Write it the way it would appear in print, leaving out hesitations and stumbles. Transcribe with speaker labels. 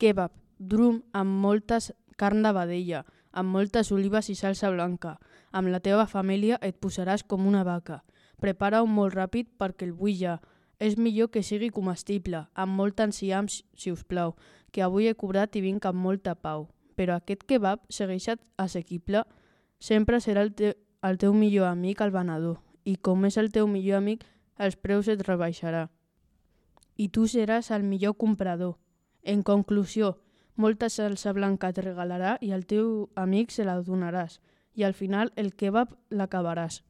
Speaker 1: Kebab, drum amb moltes carn de vedella, amb moltes olives i salsa blanca. Amb la teva família et posaràs com una vaca. Prepara-ho molt ràpid perquè el vull ja. És millor que sigui comestible, amb molt enciam, si us plau, que avui he cobrat i vinc amb molta pau. Però aquest kebab segueix assequible? Sempre serà el teu millor amic el venedor, i com és el teu millor amic, els preus et rebaixarà. I tu seràs el millor comprador. En conclusió, molta salsa blanca et regalarà i al teu amic se la donaràs, i al final el kebab l'acabaràs.